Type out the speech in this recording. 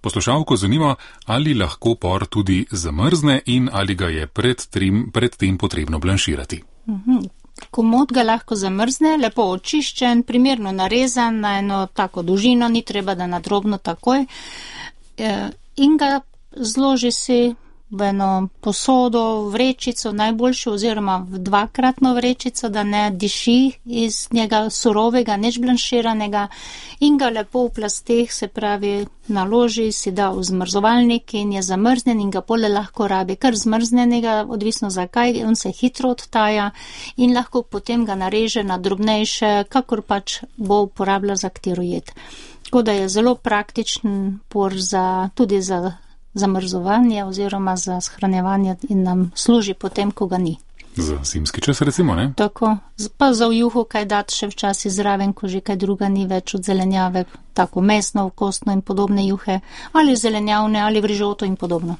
Poslušalko zanima, ali lahko por tudi zamrzne in ali ga je pred tem potrebno blanširati. Komot ga lahko zamrzne, lepo očiščen, primerno narezan na eno tako dolžino, ni treba, da na drobno takoj, in ga zloži si v eno posodo, vrečico najboljšo oziroma v dvakratno vrečico, da ne diši iz njega surovega, neč blanširanega, in ga lepo v plasteh, se pravi, naloži, si da v zmrzovalnik in je zamrznen in ga pole lahko rabi, kar zmrznenega, odvisno zakaj, on se hitro odtaja in lahko potem ga nareže na drobnejše, kakor pač bo uporabljal za katero jed. Tako da je zelo praktičen por tudi za zamrzovanje oziroma za shranjevanje in nam služi potem, ko ga ni. Za zimski čas recimo, ne? Tako, pa za v juhu kaj dati še včasih zraven, ko že kaj druga ni več od zelenjave, tako mesno, kostno in podobne juhe, ali zelenjavne, ali v rižoto in podobno.